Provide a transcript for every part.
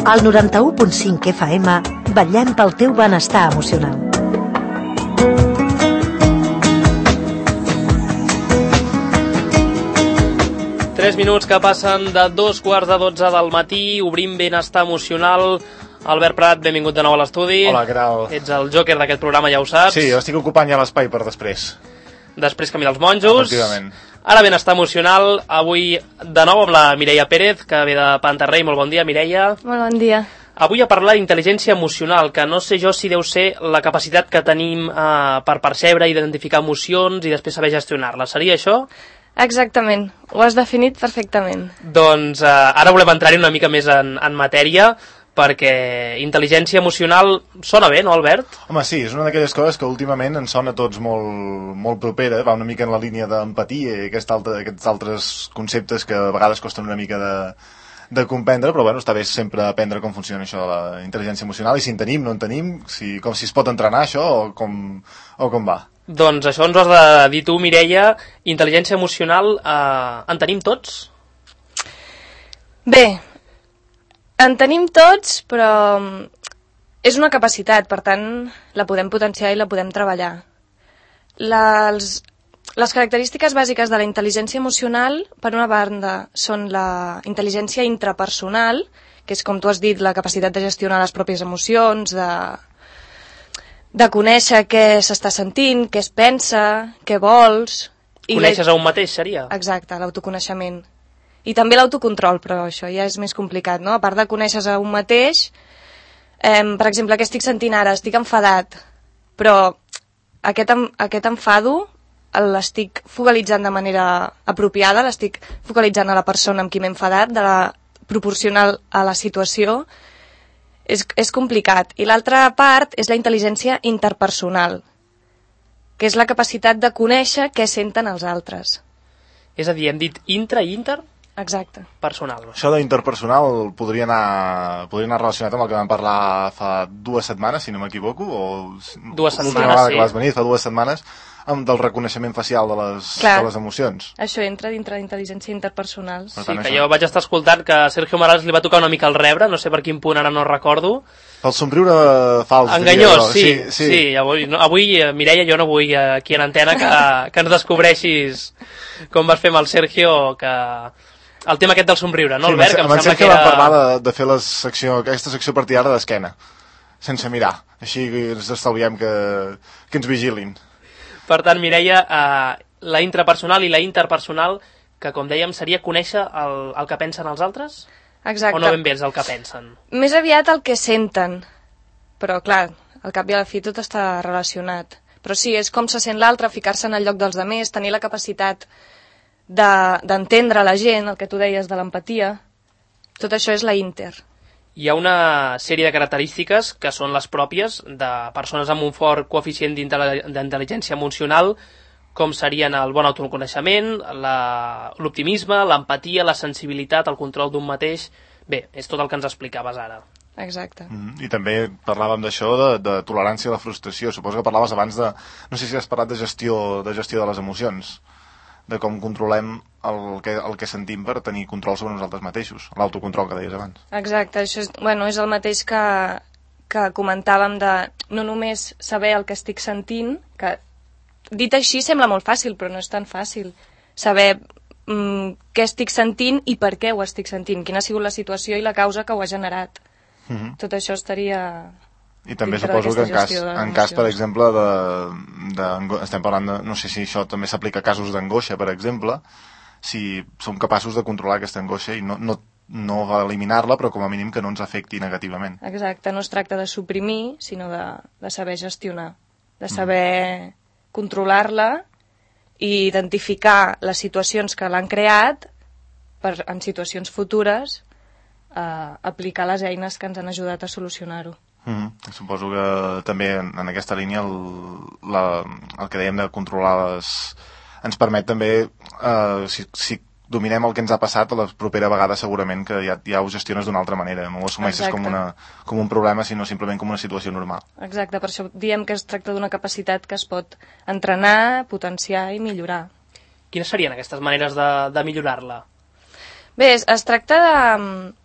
Al 91.5 FM vetllem pel teu benestar emocional. Tres minuts que passen de 2:45 del matí, obrim benestar emocional. Albert Prat, benvingut de nou a l'estudi. Hola, què tal? Ets el jòquer d'aquest programa, ja ho saps. Sí, estic ocupant ja l'espai per després. Després Camí dels Monjos. Efectivament. Ara benestar emocional, avui de nou amb la Mireia Pérez, que ve de Pantarrei. Molt bon dia, Mireia. Molt bon dia. Avui a parlar d'intel·ligència emocional, que no sé jo si deu ser la capacitat que tenim per percebre, identificar emocions i després saber gestionar-les. Seria això? Exactament, ho has definit perfectament. Doncs ara volem entrar-hi una mica més en matèria, perquè intel·ligència emocional sona bé, no, Albert? Home, sí, és una d'aquelles coses que últimament ens sona a tots molt propera, va una mica en la línia d'empatia i aquests altres conceptes que a vegades costen una mica de comprendre, però bueno, està bé sempre aprendre com funciona això de la intel·ligència emocional i si en tenim, no en tenim, com si es pot entrenar això o com va. Doncs això ens ho has de dir tu, Mireia. Intel·ligència emocional en tenim tots? Bé, en tenim tots, però és una capacitat, per tant, la podem potenciar i la podem treballar. Les característiques bàsiques de la intel·ligència emocional, per una banda, són la intel·ligència intrapersonal, que és, com tu has dit, la capacitat de gestionar les pròpies emocions, de conèixer què s'està sentint, què es pensa, què vols... Coneixes a un mateix, seria? Exacte, l'autoconeixement. I també l'autocontrol, però això ja és més complicat, no? A part de conèixer a un mateix, per exemple, què estic sentint ara? Estic enfadat, però aquest enfado l'estic focalitzant de manera apropiada, l'estic focalitzant a la persona amb qui m'he enfadat, proporcional a la situació. És complicat. I l'altra part és la intel·ligència interpersonal, que és la capacitat de conèixer què senten els altres. És a dir, hem dit intra i inter? Exacte. Personal. Això d'interpersonal podria anar relacionat amb el que vam parlar fa 2 setmanes, si no m'equivoco, o 2 setmanes, una vegada sí. que vas venir, fa 2 setmanes, del reconeixement facial de les emocions. Això entra dintre d'intel·ligència interpersonal. Sí, que jo vaig estar escoltant que a Sergio Morales li va tocar una mica el rebre, no sé per quin punt, ara no recordo. El somriure fals. Enganyós, sí. Avui, Mireia, jo no vull aquí en antena que ens descobreixis com vas fer amb el Sergio, que... El tema aquest del somriure, no, Albert? Sí, amb el Sergio vam parlar de fer aquesta secció a partir d'ara d'esquena, sense mirar. Així ens estalviem que ens vigilin. Per tant, Mireia, la intrapersonal i la interpersonal, que com dèiem seria conèixer el que pensen els altres? Exacte. O no ben bé és el que pensen? Més aviat el que senten, però clar, al cap i a la fi tot està relacionat. Però sí, és com se sent l'altre, ficar-se en el lloc dels altres, tenir la capacitat d'entendre la gent, el que tu deies de l'empatia. Tot això és la inter. Hi ha una sèrie de característiques que són les pròpies de persones amb un fort coeficient d'intel·ligència emocional, com serien el bon autoconeixement, l'optimisme, l'empatia, la sensibilitat, el control d'un mateix... Bé, és tot el que ens explicaves ara. Exacte. I també parlàvem d'això, de tolerància a la frustració. Suposo que parlaves abans de... No sé si has parlat de gestió de les emocions, de com controlem el que sentim per tenir control sobre nosaltres mateixos, l'autocontrol que deies abans. Exacte, això és el mateix que comentàvem de no només saber el que estic sentint, que dit així sembla molt fàcil, però no és tan fàcil. Saber què estic sentint i per què ho estic sentint, quina ha sigut la situació i la causa que ho ha generat. Tot això estaria... I també suposo que en cas, per exemple, estem parlant de... No sé si això també s'aplica a casos d'angoixa, per exemple, si som capaços de controlar aquesta angoixa i no eliminar-la, però com a mínim que no ens afecti negativament. Exacte, no es tracta de suprimir, sinó de saber gestionar, de saber controlar-la i identificar les situacions que l'han creat per, en situacions futures, aplicar les eines que ens han ajudat a solucionar-ho. Suposo que també en aquesta línia el que dèiem de controlar ens permet també, si dominem el que ens ha passat, la propera vegada segurament que ja ho gestiones d'una altra manera, no ho assumeixes com un problema, sinó simplement com una situació normal. Exacte, per això diem que es tracta d'una capacitat que es pot entrenar, potenciar i millorar. Quines serien aquestes maneres de millorar-la? Bé, es tracta de...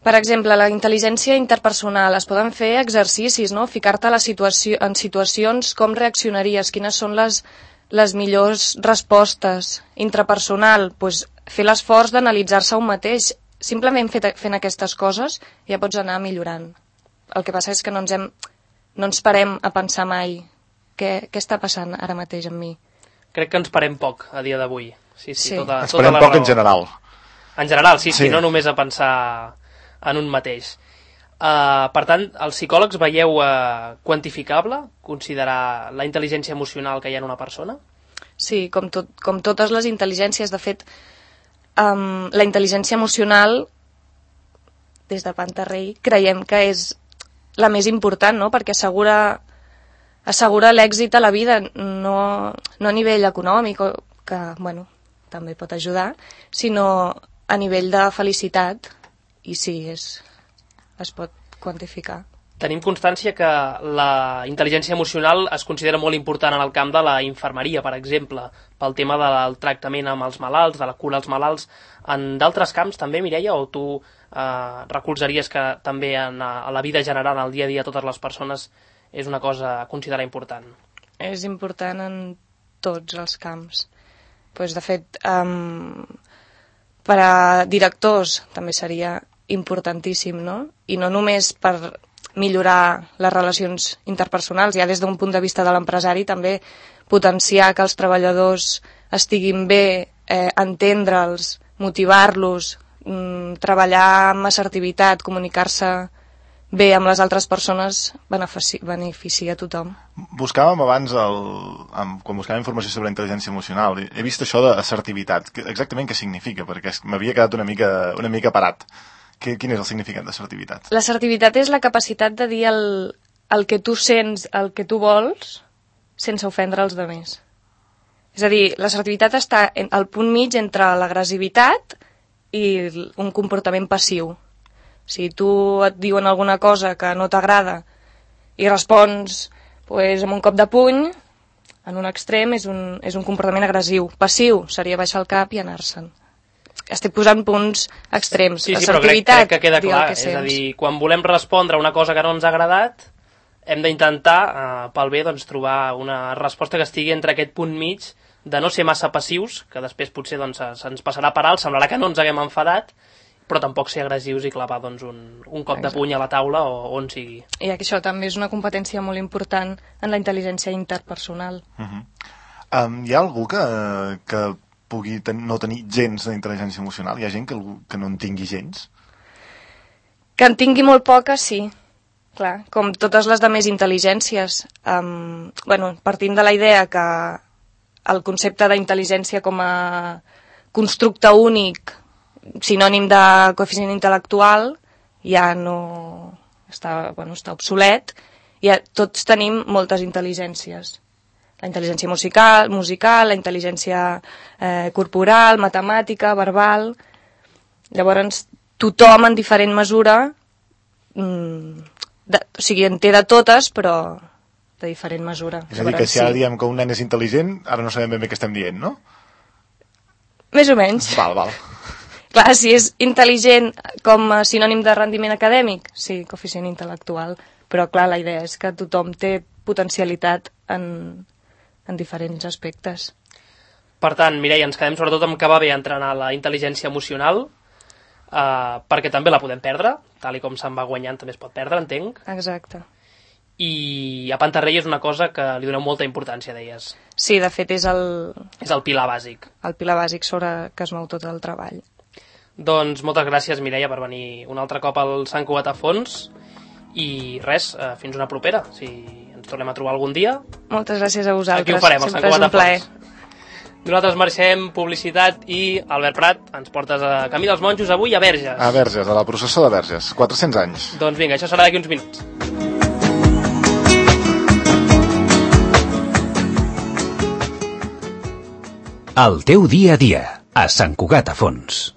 Per exemple, la intel·ligència interpersonal, es poden fer exercicis, no? Ficar-te en situacions, com reaccionaries, quines són les millors respostes. Intrapersonal, doncs, fer l'esforç d'analitzar-se un mateix. Simplement fent aquestes coses ja pots anar millorant. El que passa és que no ens parem a pensar mai què està passant ara mateix amb mi. Crec que ens parem poc a dia d'avui. Sí. Ens parem poc en general. En general, sí, no només a pensar en un mateix. Per tant, els psicòlegs veieu quantificable considerar la intel·ligència emocional que hi ha en una persona? Sí, com totes les intel·ligències. De fet, la intel·ligència emocional, des de Pantarrey, creiem que és la més important, no? Perquè assegura l'èxit a la vida, no a nivell econòmic, que bueno, també pot ajudar, sinó a nivell de felicitat. I sí, es pot quantificar. Tenim constància que la intel·ligència emocional es considera molt important en el camp de la infermeria, per exemple, pel tema del tractament amb els malalts, de la cura als malalts. En d'altres camps també, Mireia, o tu recolzaries que també a la vida general, al dia a dia, totes les persones, és una cosa a considerar important? És important en tots els camps. Pues, de fet, per a directors també seria importantíssim, no? I no només per millorar les relacions interpersonals, ja des d'un punt de vista de l'empresari, també potenciar que els treballadors estiguin bé, entendre'ls, motivar-los, treballar amb assertivitat, comunicar-se bé amb les altres persones, beneficia a tothom. Buscàvem abans, quan buscàvem informació sobre intel·ligència emocional, he vist això d'assertivitat. Exactament què significa? Perquè m'havia quedat una mica parat. Quin és el significat d'assertivitat? L'assertivitat és la capacitat de dir el que tu sents, el que tu vols, sense ofendre els altres. És a dir, l'assertivitat està al punt mig entre l'agressivitat i un comportament passiu. Si tu et diuen alguna cosa que no t'agrada i respons amb un cop de puny, en un extrem és un comportament agressiu. Passiu seria baixar el cap i anar-se'n. Estic posant punts extrems. Sí, però crec que queda clar. És a dir, quan volem respondre a una cosa que no ens ha agradat, hem d'intentar, pel bé, trobar una resposta que estigui entre aquest punt mig de no ser massa passius, que després potser se'ns passarà per alt, semblarà que no ens haguem enfadat, però tampoc ser agressius i clavar un cop de puny a la taula o on sigui. I això també és una competència molt important en la intel·ligència interpersonal. Hi ha algú que pugui no tenir gens d'intel·ligència emocional? Hi ha gent que no en tingui gens? Que en tingui molt poca, sí. Clar, com totes les demés intel·ligències. Partint de la idea que el concepte d'intel·ligència com a constructe únic, sinònim de coeficient intel·lectual, ja no està obsolet. Tots tenim moltes intel·ligències. La intel·ligència musical, la intel·ligència corporal, matemàtica, verbal. Llavors, tothom en diferent mesura, en té de totes, però de diferent mesura. És a dir, que si ara diem que un nen és intel·ligent, ara no sabem ben bé què estem dient, no? Més o menys. Val. Clar, si és intel·ligent com a sinònim de rendiment acadèmic, sí, coeficient intel·lectual. Però, clar, la idea és que tothom té potencialitat en diferents aspectes. Per tant, Mireia, ens quedem sobretot amb que va bé entrenar la intel·ligència emocional, perquè també la podem perdre, tal i com se'n va guanyant també es pot perdre, entenc. Exacte. I a Pantarrey és una cosa que li doneu molta importància, deies. Sí, de fet és el... És el pilar bàsic. El pilar bàsic sobre que es mou tot el treball. Doncs moltes gràcies, Mireia, per venir un altre cop al Sant Cugat a Fons, i res, fins una propera, si ens tornem a trobar algun dia. Moltes gràcies a vosaltres. Aquí ho farem, al Sant Cugat a Fons. Nosaltres marxem publicitat i Albert Prat, ens portes a Camí dels Monjos avui a Verges. A Verges, a la processó de Verges, 400 anys. Doncs vinga, això serà d'aquí uns minuts. El teu dia a dia, a Sant Cugat a Fons.